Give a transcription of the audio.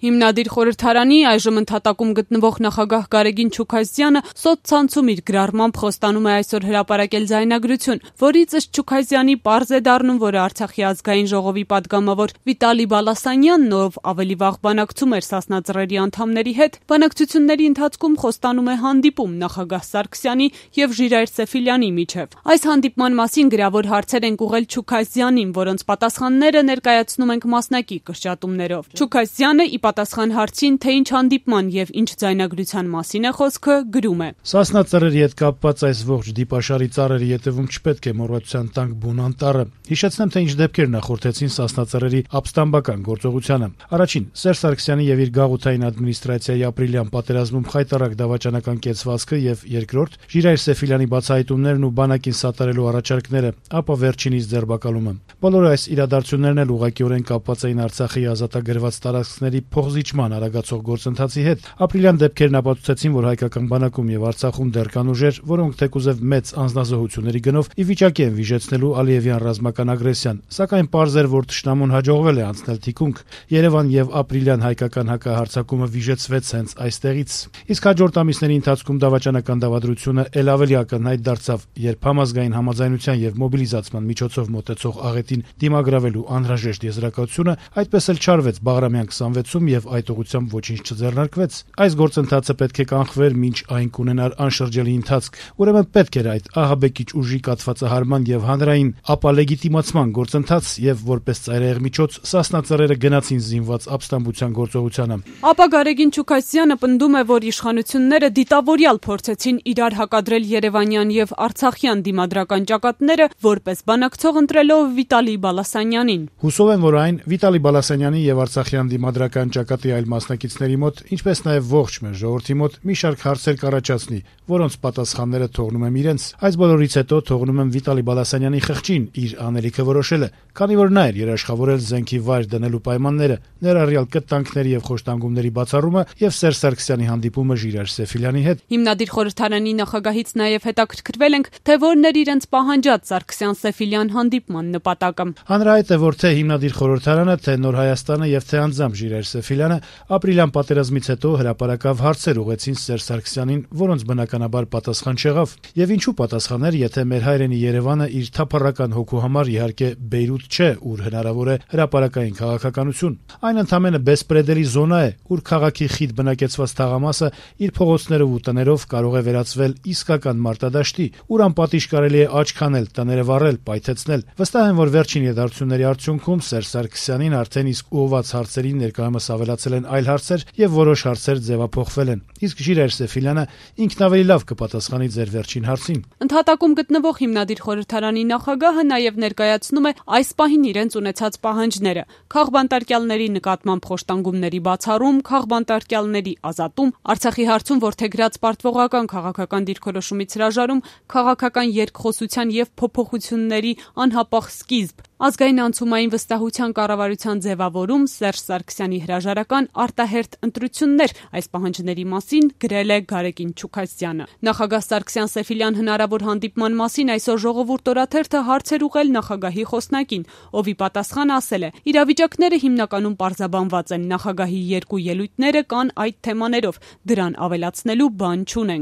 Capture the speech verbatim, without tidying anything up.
Հիմնադիր խորհրդարանի այժմ ընդհատակում գտնվող նախագահ Գարեգին Չուքազյանը սոցցանցում իր գրառմամբ խոստանում է այսօր հրապարակել ձայնագրություն, որից ըստ Չուքազյանի պարզ է դառնում, որ Արցախի ազգային ժողովի падգամավոր Վիտալի Բալասանյանն, ով ավելի վաղ բանակցում էր Սասնա Ծռերի անդամների հետ, բանակցությունների ընթացքում խոստանում է հանդիպում նախագահ Սարգսյանի եւ Ժիրայր Սեֆիլյանի միջև։ Այս հանդիպման մասին գրավոր հարցեր են ուղղել Չուքազյանին, որոնց պատասխանները ներկայացնում ենք մասնակի կրճատումներով։ Չուքազյանը ի պատասխան հարցին, թե ինչ հանդիպման եւ ինչ ձայնագրության մասին է խոսքը, գրում է. Սասնա Ծռերի հետ կապված այս ողջ դիպաշարի ծառերի ետևում չպետք է մոռացության տանք բուն անտառը։ Հիշեցնեմ, թե ինչ դեպքեր նախորդեցին Սասնա Ծռերի ապստամբական գործողությանը։ Առաջին, Սերժ Սարգսյանի եւ իր գաղութային ադմինիստրացիայի ապրիլյան պատերազմում խայտառակ դավաճանական կեցվածքը եւ երկրորդ, Ժիրայր Սեֆիլյանի բացահայտումներն ու բանակին սատարելու առաջարկները, ապա վերջինիս ձերբակալումը։ Բոլոր այս իրադարձություններն էլ ուղղակիորեն կապված էին Արցախի ազատագրված տարածքների փոխզիջման արագացող գործընթացի հետ։ Ապրիլյան դեպքերն ապացուցեցին, որ հայկական բանակում եւ Արցախում դեռ կան ուժեր, որոնք թեկուզեւ մեծ անձնազոհությունների գնով ի վիճակի են վիժեցնելու Ալիևյան ռազմական ագրեսիան, սակայն պարզ էր, որ թշնամուն հաջողվել է անցնել թիկունք։ Երևան եւ ապրիլյան հայկական հակահարձակումը վիժեցվեց հենց այստեղից։ Իսկ հաջորդ ամիսների ընթացքում դավաճանական դավադրությունը ել ավելի ակնհայտ դարձավ, երբ համազգային համաձայնության եւ մոբիլիզացման միջոցով մոտեցող աղետին դիմագրավելու անհրաժեշտ եզրակացությունը այդպես էլ չարվեց Բաղրամյան քսանվեցում եւ այդ ուղղությամբ ոչինչ չձեռնարկվեց։ Այս գործընթացը պետք է կանխվեր, մինչ այն կունենար անշրջելի ընթացք։ Ուրեմն պետք էր այդ ահաբեկիչ ուժի կաթվածահարման եւ հանրային ապա լեգիտիմացման գործընթաց եւ որպես ծայրահեղ միջոց Սասնա Ծռերը գնացին զինված ապստամբության գործողությանը։ Ապա Գարեգին Չուքազյանը պնդում է, որ իշխանությունները դիտավորյալ փորձեցին իրար հակադրել Երևանյան եւ Արցախյան դիմադրական ճակատները, որպես բանակցող ընտրելով Վիտալի Բալասանյանին։ Հուսով եմ, որ այն Վիտալի Բալասանյանի եւ Արցախյան դիմադրական ճակատի այլ մասնակիցների մոտ, ինչպես նաեւ ողջ մեր ժողովրդի մոտ մի շարք հարցեր կառաջացնի, որոնց պատասխանները թողնում եմ իրենց։ Այս բոլորից հետո թողնում եմ Վիտալի Բալասանյանի խղճին իր անելիքը որոշելը, քանի որ նա էր երաշխավորել զենքի վայր դնելու պայմանները, ներառյալ կտանքների եւ խոշտանգումների բացառումը եւ Սերժ Սարգսյանի հանդիպումը Ժիրայր Սեֆիլյանի հետ։ Հիմնադիր խորհրդարանի նախագահից նաեւ հետաքրքրվել ենք, թե որն էր իրենց պահանջած Սարգսյան-Սեֆիլյան հանդիպման նպատակը։ Հանրահայտ է, որ թե հիմնադիր խորհրդարանը, թե Նոր Հայաստանը եւ թե անձամբ Ժիրայր Սեֆիլյանը ապրիլյան պատերազմից հետո հրապարակավ հարցեր ուղեցին Սերժ Սարգսյանին, որոնց բնականաբար պատասխան չեղավ։ Եվ ինչու պատասխաներ, եթե մեր հայրենի Երևանը իր թափառական հոգու համար իհարկե Բեյրութ չէ, ուր հնարավոր է հրապարակային քաղաքականություն։ Այն ընդամենը բեսպրեդելի զոնա է, ուր քաղաքի խիտ բնակեցված թաղամասը իր փողոցներով ու տներով կարող է վերածվել իսկական մարտադաշտի, ուր անպատիժ կարելի է աչք հանել, տները վառել, պայթեցնել։ Վստահ եմ, որ վերջին իրադարձությունների արդյունքում Սերժ Սարգսյանին արդեն իսկ ուղղված հարցերին ներկայումս ավելացել են այլ հարցեր եւ որոշ հարցեր ձևափոխվել են։ Իսկ Ժիրայր Սեֆիլյանը ինքն ավելի լավ կպատասխանի ձեր վերջին հարցին։ Ընդհատակում գտնվող հիմնադիր խորհրդարանի նախագահը նաեւ ներկայացնում է այս պահին իրենց ունեցած պահանջները՝ քաղբանտարկյալների նկատմամբ խոշտանգումների բացառում, քաղբանտարկյալների ազատում, Արցախի հարցում որդեգրած պարտվողական քաղաքական դիրքորոշումից հրաժարում, քաղաքական երկխոսության եւ փոփոխությունների անհապաղ սկիզբ, ազգային անցումային վստահության կառավարության ձևավորում, Սերժ Սարգսյանի հրաժարական արտահերթ ընտրություններ։ Այս պահանջների մասին գրել է Գարեգին Չուքազյանը։ Նախագահ Սարգսյան-Սեֆիլյան հնարավոր հանդիպման մասին այսօր Ժողովուրդ օրաթերթը հարցեր ուղղել նախագահի խոսնակին, ով ի պատասխան ասել է. իրավիճակները հիմնականում պարզաբանված են, նախագահի երկու ելույթները կան այդ թեմաներով, դրան ավելացնելու բան չունենք։